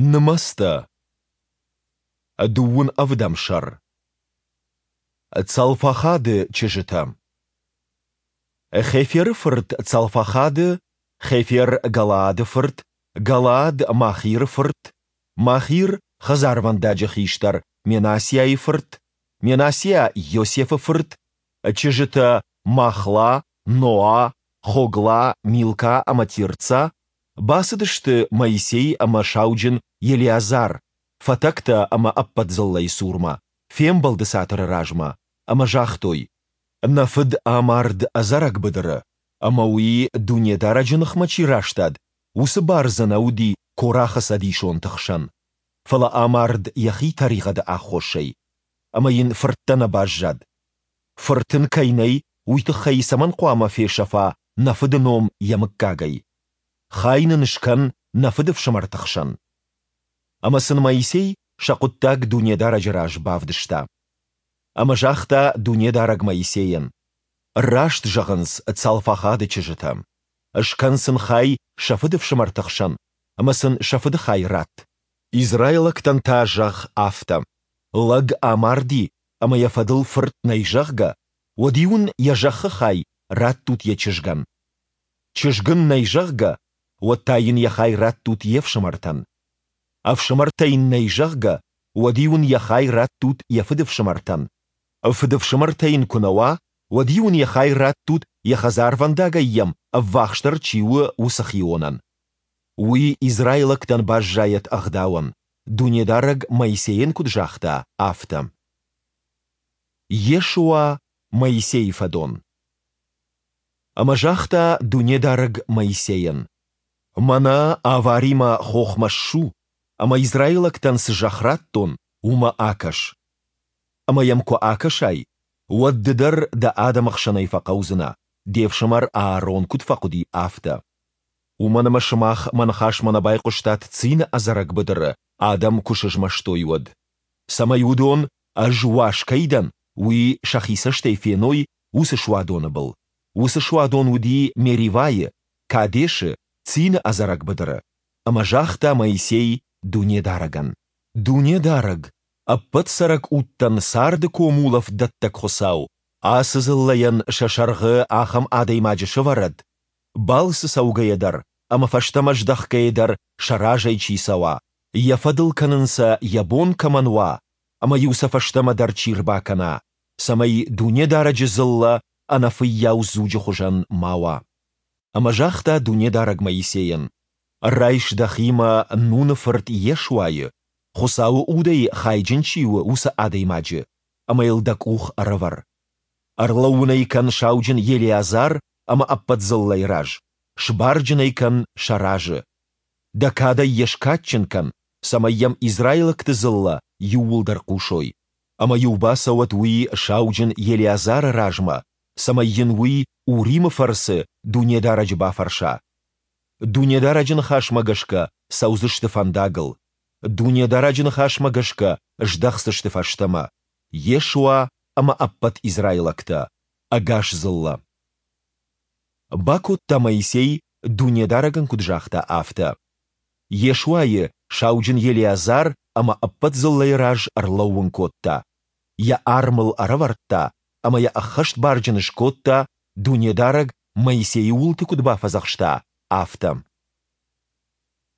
Нымӕцтӕ. Дыууын ӕвдӕм сӕр. Цалфахады чызджытӕ. Хеферы фырт Цалфахады, Хефер Галаады фырт, Галаад Махиры фырт, Махир хӕдзарвӕндаджы хистӕр Менассиайы фырт, Менассиа Йосефы фырт, чызджытӕ Махла, Ноа, Хогла, Милка ӕмӕ Тирца бацыдысты Моисей ӕмӕ сауджын Елеазар, фӕтӕгтӕ ӕмӕ ӕппӕт дзыллӕйы цурмӕ, фембӕлды цатыры размӕ, ӕмӕ загътой, Нӕ фыд амард ӕдзӕрӕг быдыры, ӕмӕ уый, Дунедарӕджы ныхмӕ чи растад, уыцы бар дзы нӕ уыди Корахы цӕдисонты хсӕн, фӕлӕ амард йӕхи тӕригъӕды аххосӕй, ӕмӕ йын фырттӕ нӕ баззад. Фырт ын кӕй нӕй, уый тыххӕй цӕмӕн хъуамӕ фесӕфа нӕ фыды ном йӕ мыггагӕй? Хай нын скӕн нӕ фыдыфсымӕрты хсӕн. Ӕмӕ сын Моисей сӕ хъуыддаг Дунедарӕджы раз бавдыста. Ӕмӕ загъта Дунедарӕг Моисейӕн, Раст зӕгъынц Цалфахады чызджытӕ. Скӕн сын хай сӕ фыдыфсымӕрты хсӕн ӕмӕ сын сӕ фыды хай ратт. Израилӕгтӕн та зӕгъ афтӕ, лӕг амарди ӕмӕ йӕ фӕдыл фырт нӕй, зӕгъгӕ, уӕд-иу ын йӕ зӕххы хай раттут йӕ чызгӕн. Чызг ын нӕй, зӕгъгӕ, уӕд та йын йӕ хай раттут йе фсымӕртӕн. Ӕфсымӕртӕ йын нӕй, зӕгъгӕ, уӕд-иу ын йӕ хай раттут йӕ фыдыфсымӕртӕн. Фыдыфсымӕртӕ йын куы нӕ уа, уӕд-иу ын йӕ хай раттут, йӕ хӕдзарвӕндагӕй йӕм ӕввахсдӕр чи у, уыцы хионӕн. Уый израилӕгтӕн баззайӕд ӕгъдауӕн, Дунедарӕг Моисейӕн куыд загъта, афтӕ. Йешуа, Моисейы фӕдон. Ӕмӕ загъта Дунедарӕг Моисейӕн, Мӕнӕ Аваримӕ хохмӕ ссу, ӕмӕ израилӕгтӕн цы зӕхх радтон, уымӕ акӕс. Ӕмӕ йӕм куы акӕсай, уӕд ды дӕр дӕ адӕмы хсӕнӕй фӕхъӕудзынӕ, де фсымӕр Аарон куыд фӕхъуыди, афтӕ. Уымӕн ӕмӕ сымах мӕ ныхасмӕ нӕ байхъуыстат Цины ӕдзӕрӕг быдыры, адӕм куы сызмӕстой, уӕд. Цӕмӕй уыдон, ӕз уаз кӕй дӕн, уый сӕхи цӕстӕй феной уыцы суадоны был. Уыцы суадон уыди Меривайы, Кадешы, Цины ӕдзӕрӕг быдыры. Ӕмӕ загъта Моисей Дунедарӕгӕн: Дунедарӕг, ӕппӕт цӕрӕг удтӕн царды комулӕфт дӕттӕг Хуыцау, ацы дзыллӕйӕн сӕ сӕргъы ахӕм адӕймаджы сӕвӕрӕд, балцы цӕугӕйӕ дӕр ӕмӕ фӕстӕмӕ здӕхгӕйӕ дӕр сӕ разӕй чи цӕуа, йӕ фӕдыл кӕнын сӕ йӕ бон кӕмӕн уа ӕмӕ-иу сӕ фӕстӕмӕ дӕр чи рбакӕна, цӕмӕй Дунедарӕджы дзыллӕ ӕнӕфыййау дзуджы хуызӕн ма уа. Ӕмӕ загъта Дунедарӕг Моисейӕн, Райс дӕхимӕ Нуны фырт Йешуайы, Хуыцауы Удӕй хайджын чи у, уыцы адӕймаджы, ӕмӕ йыл дӕ къух ӕрӕвӕр. Ӕрлӕууын ӕй кӕн сауджын Елеазар ӕмӕ ӕппӕт дзыллӕйы раз, сбарджын ӕй кӕн сӕ разы. Дӕ кадӕй йӕ скадджын кӕн, цӕмӕй йӕм израилӕгты дзыллӕ иууылдӕр хъусой. Ӕмӕ-иу бацӕуӕд уый сауджын Елеазары размӕ, цӕмӕй йын уый Уримы фӕрцы Дунедарӕджы бафӕрса. Дунедарӕджы ныхасмӕ гӕсгӕ цӕудзысты фӕндагыл, Дунедарӕджы ныхасмӕ гӕсгӕ здӕхдзысты фӕстӕмӕ, Йешуа ӕмӕ ӕппӕт израилӕгтӕ, ӕгас дзыллӕ. Бакодта Моисей, Дунедарӕг ын куыд загъта, афтӕ. Йешуайы сауджын Елеазар ӕмӕ ӕппӕт дзыллӕйы раз ӕрлӕууын кодта, йӕ арм ыл ӕрӕвӕрдта ӕмӕ йӕ ӕххӕстбарджын скодта, Дунедарӕг Моисейы уылты куыд бафӕдзӕхста, афтӕ.